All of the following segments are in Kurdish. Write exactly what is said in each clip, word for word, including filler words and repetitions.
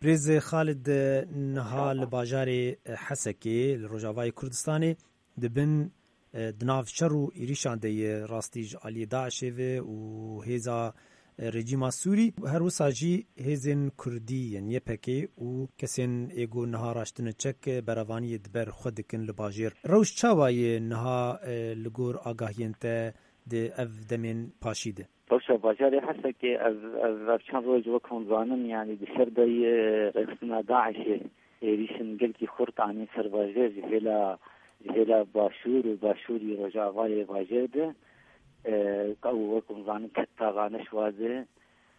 Birêz Xalid, niha li bajarê Hesekê li Rojavayê Kurdistanê di bin, e, di nav şer û êrîşan de ye, rastî ji aliyê DAIŞê ve û hêza, e, rejîma Sûrî, her wisa jî hêzên Kurdî yên Y P G û kesên ê ku niha raştine çek, e, berevaniyê di ber xwe dikin li bajêr. Rewş çawa ye niha, e, li gor agahiyên te di ev demên paşî de? Rewşa bajarê Hesekê ev, ev, ev çend roj wek hûn zanin, yanî di şer de ye, rêxistina DAIŞê êrîşin gelkî xurt anîn ser bajêr ji hêla, ji hêla başûr û başûrî rojavayê bajêr de. E, ew wek hûn zanin ket taxa Neşwa de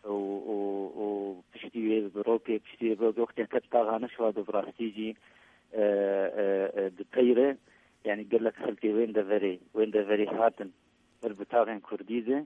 û, û, û piştî wê bi rokê, piştî wê bi rokê wextê ket taxa Neşwa de bi rastî jî, e, e, e, di peyre, yanî gelek xelkê wên deverê, wên deverê hatin ber bi taxên Kurdî de,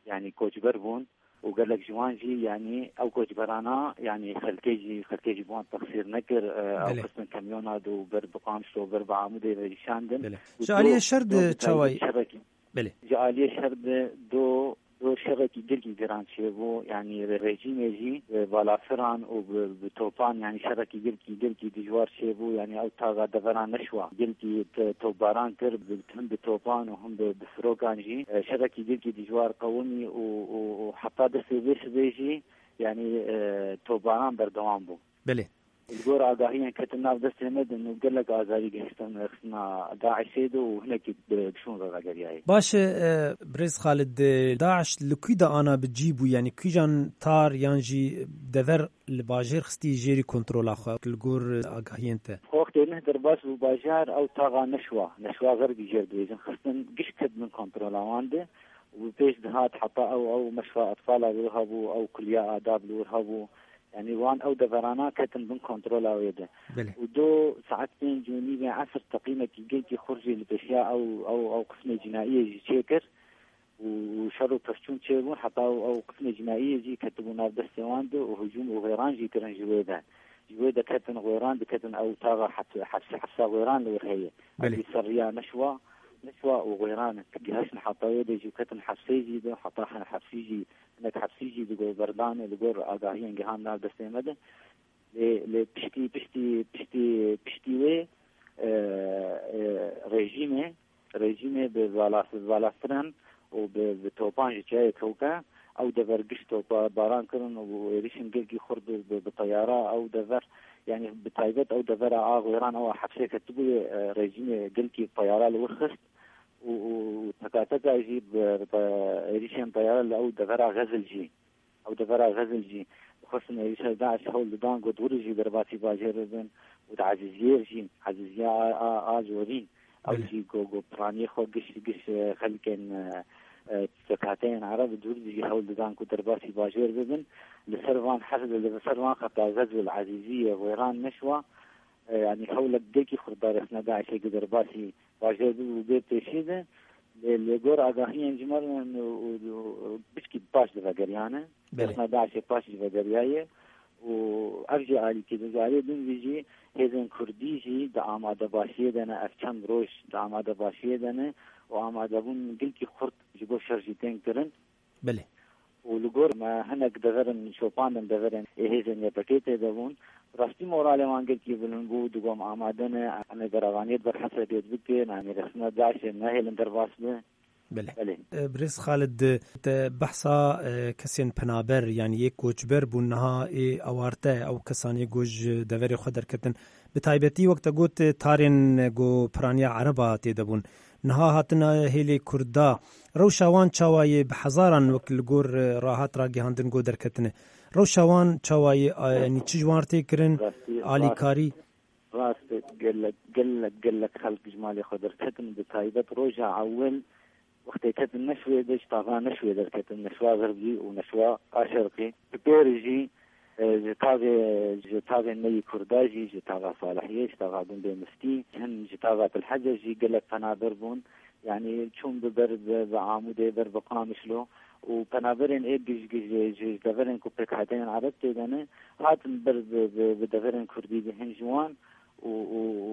yanî koçber bûn û gelek ji wan jî, yanî ew koçberana, yanî xelkê jî, xelkê jî bi wan texsîr nekir, e, ew Belê. xistin kamyona de û ber bi Qamişlo, ber bi Amûdê ve jî şandin. Belê. Û Ji do, aliyê şer do de bi taybet çawa ye? şerek-, Belê. Ji aliyê şer de do, do şerekî gelkî giran çêbû, yanî re-, rejîmê jî, e, balafiran û bi, bi topan, yanî şerekî gelkî, gelkî dijwar çêbû, yanî ew taxa devera Neşwa, gelkî te-, topbaran kir, bi, him bi topan û him bi, bi firokan jî, e, şerekî gelkî dijwar qewimî û, û, û heta destê vê sibê jî, yanî, e, topbaran berdewam bû. Belê. Li gor agahiyên ketin nav destê me de û gelek azarî gihiştin rêxistina DAIŞê de û hinekî bi, bi şûn ve vegeriyayê. Baş e, e, Birêz Xalid, e, DAIŞ li kû de ana bi cî bû, yanî kîjan tar yan jî dever li bajêr xistî jêrî kontrola xwe li gor, e, agahiyên te? Wextê neh derbas bû bajar, ew taxa Neşwa, Neşwa Xerbî jêr dibêjin, xistin giş ket bin kontrola wan de û bi pêş dihat heta ew, ew meşfa etfala li wir hebû, ew kuliya adab li wir hebû. Yanî wan ew deverana ketin bin kontrola wê de. Belê. Û do saet pênc û nîvê esr teqîmekî gelkî xurt jî li pêşiya ew, ew, ew qismê cînaiyê jî çêkir. Û, û şer û pevçûn çêbûn, heta ew, ew qismê cînaiyê jî ketibû nav destê wan de û hicûm û xêran jî kirin ji wê de. Ji wê de ketin xêran, diketin ew taxa hep-, hepse, hepsa xêran li wir heye. Belê. Ewî ser riya Neşwa, Neşwa û xêran gihaştin heta wê de jî ketin hepsê jî de, heta he-, hepsî jî, hinek hepsî jî li gor berdan e, li gor agahiyên gihan nav destê me de. Lê, lê piştî, piştî, piştî, piştî wê, e, e, rejîmê, rejîmê bi balas-, balastiran û bi, bi topan ji çiyayê kewke, ew dever giş topa baran kirin û êrîşên gelkî xurt bi, bi, bi teyara ew dever, yanî bi taybet ew devera a xêran ew a hepsê ketibûye, e, rejîmê gelkî teyara li wir xist û, û, û tekateka jî bi, bi êrîşên teyara li ew devera Xezil jî. Ew devera Xezil jî dixwestin êrîşa DAIŞ hewl didan ku di wir jî derbasî bajêr bibin û di Ezîziyê jî, Ezîziya a, a, a zorîn, ew Belê. jî ku, ku piraniyê xwe giş, giş, e, xelkên, e, e, pêkhateyên Ereb di wir jî hewl didan ku derbasî bajêr bibin. Li ser van hef-, li ser van xeta Xezil, Ezîziyê, Wêran, Neşwa, e, yanî hewlek gelkî xurt da rêxistina DAIŞê ku derbasî bajêr bû û bê pêşî de, lê li gor agahiyên ji me re û, û, û, pişkî paş divegeriyane. Belê. Rêxistina DAIŞê paş jî vegeriyaye û ev jî alîkî de, ji aliyê din vî jî hêzên Kurdî jî di amadebaşiyê de ne, ev çend roj di amadebaşiyê de ne û amadebûn gelkî xurt ji bo şer jî tên kirin. Belê. Û li gor me hinek deverin şopandin, deverên ê hêzên Y P G tê de bûn. Rastî moralê wan gelkî bilind bû, digot em amade ne, em ê berevaniyê di ber Hesekê bikin, em ê rêxistina DAIŞê nehêlin derbas be. Belê. Belê. E, Birêz Xalid, te behsa, e, kesên penaber, yanî yê koçber bûn, niha ê awarte, ew kesanê ku ji deverê xwe derketin. Bi taybetî wek te got, tarên ku piraniya Ereba tê de bûn. Niha hatine hêlê Kurda. Rewşa wan çawa ye bi hezaran wek li gor, e, rahat ragihandin ku derketine? Rewşa wan çawa ye, a, yanî çi ji wan tê kirin? Rastî, Alîkarî? Rast, rast, gelek, gelek, gelek xelk ji malê xwe derketin, bi taybet roja ewil wextê ketin Neşwê de, ji taxa Neşwê derketin, Neşwa Xerbî û Neşwa a Şerqî. Bi pêrî jî, e, ji taxê, ji taxê me yî Kurda jî, ji taxa Salihiyê, ji taxa gundê Miftî, hin ji taxa Til Hece jî gelek penaber bûn. Yanî çûn bi ber bi, bi Amûdê, ber bi Qamişlo û penaberên ê giş giş ji, ji deverên ku pêkhateyên Ereb tê de ne, hatin ber bi, bi, bi deverên Kurdî de hin ji wan û, û, û,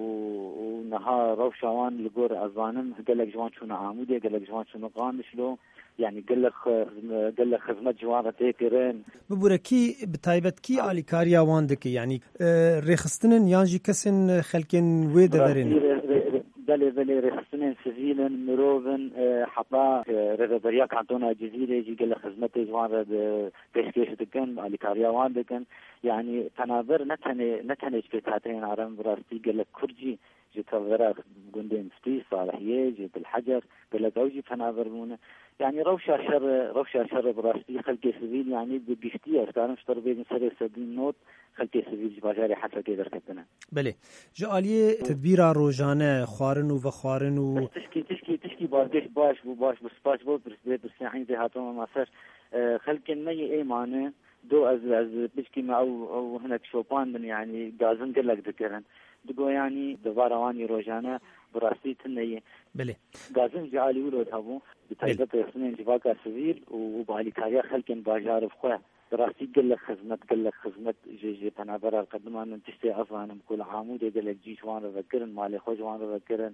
û niha rewşa wan li gor ez zanim gelek ji wan çûne Amûdê, gelek ji wan çûne Qamişlo. Yani gelek xizme-, gelek xizmet ji wan re tê kirin. Bibûre kî, bi taybet kî alîkariya wan dike? Yani, e, rêxistinên yan jî kesên xelkên wê deverê ne? Rastî rê-, rê-, rê-, belê, belê, rêxistinên sivîl in, mirov in, e, heta, e, rêveberiya kantona Cizîrê jî gelek xizmetê ji wan re di-, pêşkêş dikin, alîkariya wan dikin. Yani penaber ne tenê, ne tenê ji pêkhateyên Arem, bi rastî gelek Kurd jî ji tevgera gundê Miftî, Salihiyê, ji Dilhecer, gelek ew jî penaber bûne. Yani rewşa şerê, rewşa şerê bi rastî xelkê sivîl, yani bi giştî ez karim ji te re bêjim serê sedî nod xelkê sivîl ji bajarê Hesekê derketine. Belê. Ji aliyê tedbîra rojane, xwarin û vexwarin û Tişkî, tişkî, tişkî balkêş baş bû, baş bû, spas bo, pirs-, bê pirsî hîn vê hatime ma ser. E, xelkên me yê ê mane, do ez, ez pişkî me ew, ew hinek şopandin, yani gazin gelek dikirin. Digo yani devara wan yê rojane bi rastî tune ye. Belê. Gazin ji alî wilo de hebû, bi Belê. taybet rêxistinên civaka sivîl û, û bi alîkariya xelkên bajar bi xwe. Bi rastî gelek xizmet, gelek xizmet ji, ji penabera qediman min tiştê ez zanim ku li Amûdê gelek cî ji wan re vekirin, malê xwe ji wan re vekirin,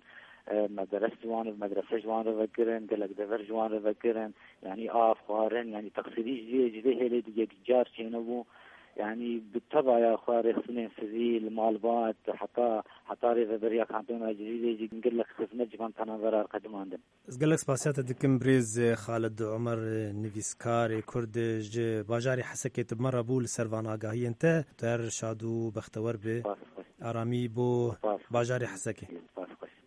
e, mederes ji wan re, medrese ji wan re vekirin, gelek dever ji wan re vekirin. Yani av, xwarin, yani teqsîrî ji, ji vê hêlê di yekcar çênebû. Yani bi tevaya xwe rêxistinên sivîl, malbat, heta, heta rêveberiya kantona Cizîrê jî gelek xizmet ji van penabera qedimandin. Ez gelek spasiya te dikim birêz Xalid Omer, nivîskarê Kurd ji bajarê Hesekê tu bi me re bû li ser van agahiyên te. Tu her şad û bextewer bi. Spas, spas. Aramî bo Spas. bajarê Hesekê.